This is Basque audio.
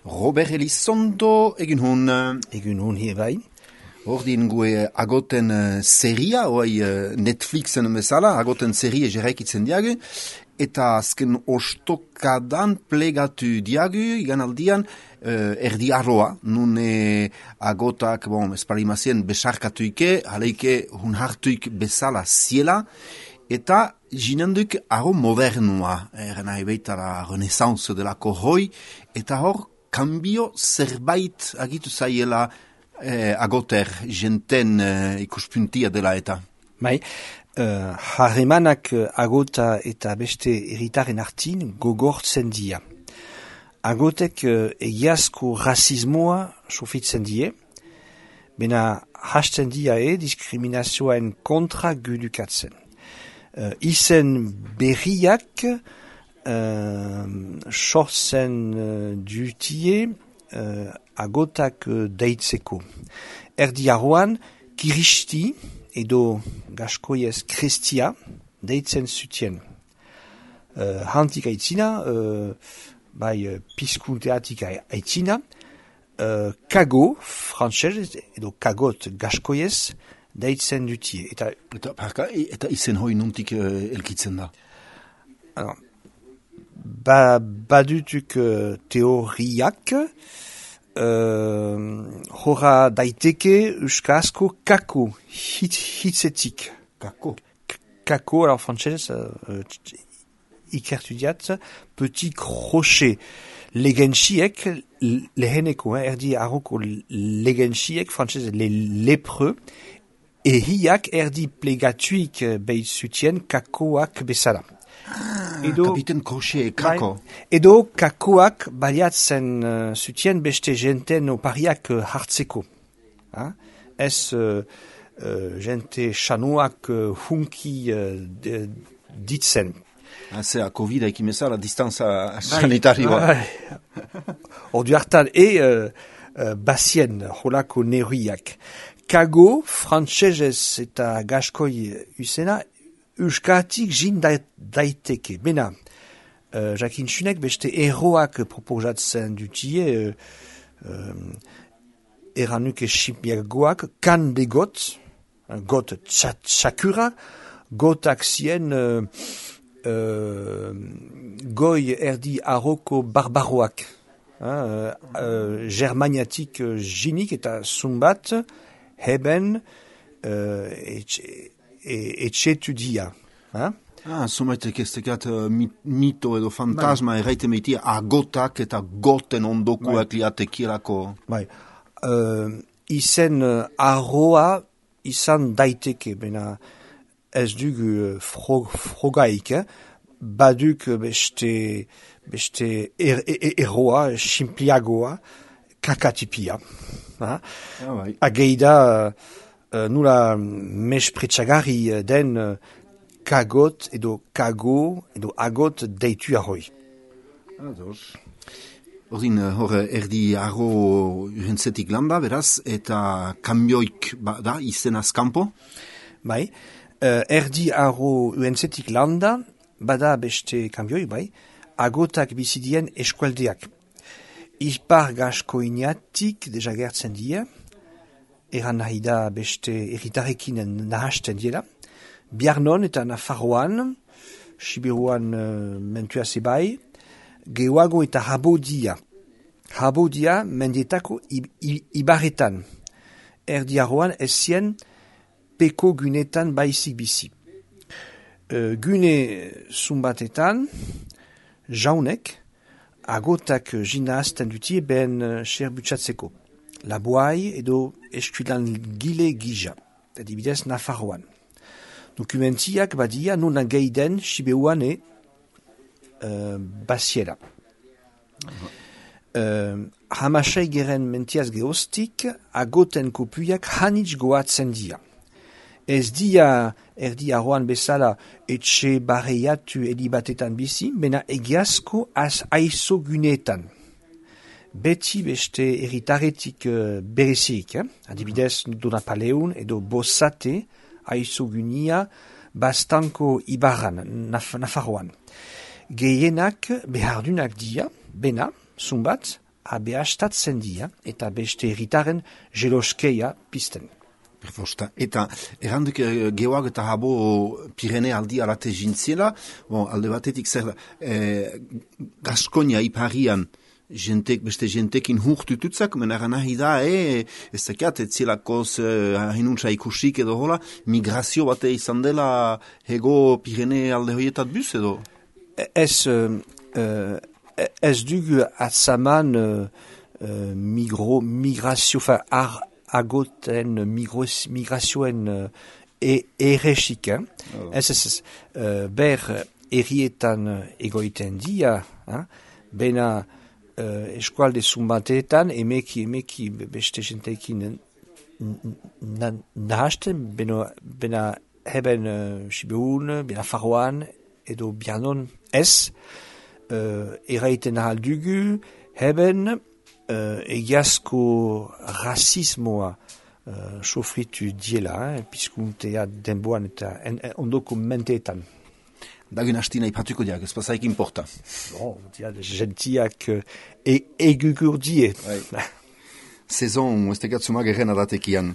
Robert Elizondo, egin hun. Egun hun hier bai. Ordin gue agoten seria, oai Netflixen bezala, agoten serie jeraikitzen diagu, eta azken ostokadan plegatu diagu, igan aldian, erdi arroa, nun agotak, esparimazien besarkatuike, haleike hun hartuik bezala ziela, eta jinenduk arro modernua, nahi beitara renaissance delako hoi, eta hor, kambio zerbait agitu zaiela agoter jenten ikuspuntia dela eta. Bai, harremanak agota eta beste herritaren artin gogortzen dira. Agotek egiazko rasismoa sofitzen die, bena hasten dira diskriminazioen kontra gudukatzen. Izen berriak sortzen dutie agotak deitzeko. Erdi arroan, kiristi edo gaskoiez krestia deitzen zutien. Hantik aitzina, bai pizkunteatik aitzina, kago, frantsez edo kagot gaskoiez deitzen dutie. Eta izen hoi nuntik elkitzen da? Badutuk teoriak, hora daiteke euskarazko kako, hitzetik. Kako? Kako, alors frantsez, ikertu diat, petit crochet. Legentsiek, leheneko, erdi arroko legentsiek, frantsez, lepreux, ehiak erdi plegatuik behitzutien kakoak bezala. Kapiten Crochet, kako. Edo kakoak baliatzen zutien beste jenten opariak hartzeko. Ez jente xanuak hunki ditzen. Zea, COVID ekimezala, distanza sanitarioa. Ordu hartan, bazien holako neuriak. Kago, frantsesez eta gaskoi usena, euskatik jin daiteke. Bena, jakin txunek beste eroak proposatzen dutie, eranuke ximpiagoak, kan begot, got txakura, gotak zien goi erdi arroko barbaroak. Germaniatik jinik eta zumbat, heben etxetudia. Zumaitek ez tekat mito edo fantasma erraite meitia agotak eta goten ondokuak liatekielako. Bai. Izen arroa izan daiteke, bena ez dugu frogaik, baduk beste erroa, simpliagoa, kakatipia. Ageida nula mespretsagarri den kagot edo kago edo agot deitu arroi. Ordin, hor erdi arro urentzetik landa, beraz, eta kambioik da izen azkampo? Bai, erdi arro urentzetik landa, bada beste kambioi, bai, agotak bizidien eskualdeak. Ipar gaskoiniatik deja gertzen die, eran nahi da beste erritarekin nahasten diela, Biarnon eta Nafarroan, Sibiruan mentua zebai, geoago eta Habodia. Habodia mendietako ibarretan. Erdi arroan ezien peko gunetan baizik bizi. Gune zumbatetan, jaunek, agotak jina azten dutie ben serbutsatzeko. Laboai edo eskulan gile gija, adibidez Nafarroan. Dokumentiak badia non geiden Sibeuan basiera. Hamasei geren mentiaz geostik, agoten kopuiak hanitz goatzen dia. Ez dia erdi arroan bezala etxe barreiatu edibatetan bizi, bena egiazko az aizo gunetan. Beti beste erritaretik berezik, adibidez Donapaleun edo Bosate, aizogunia bastanko ibarran, Nafarroan. Gehienak behardunak dia, bena, zumbat, abeastatzen dia, eta beste herritaren jeloskeia pizten. Perfosta. Eta erranduk geoak eta habo Pirene aldi alate jintziela, alde batetik zer da, Gaskonia iparian beste jentekin hurtututzak, mena nahi da, ez dakiat, etzielakoz hinuntza ikusik edo hola, migrazio bate izan dela hego Pirene alde hoietat buz edo? Ez dugu atzaman migrazio, agoten migrazioen erresik. Ber errietan egoiten dia, bena eskualde zumbateetan, emeki beste jenteekin nahasten, bena heben Sibeun, bena Faroan, edo Bianon ez, eraiten ahal dugu, heben egiazko rasismoa sofritu diela, pizkuntea denboan eta ondoko menteetan. Dagen hastina ipatuko diak, ez pasaik importa. Gentiak egugur die. Sezon, ez tegatzuma gerren adatekian.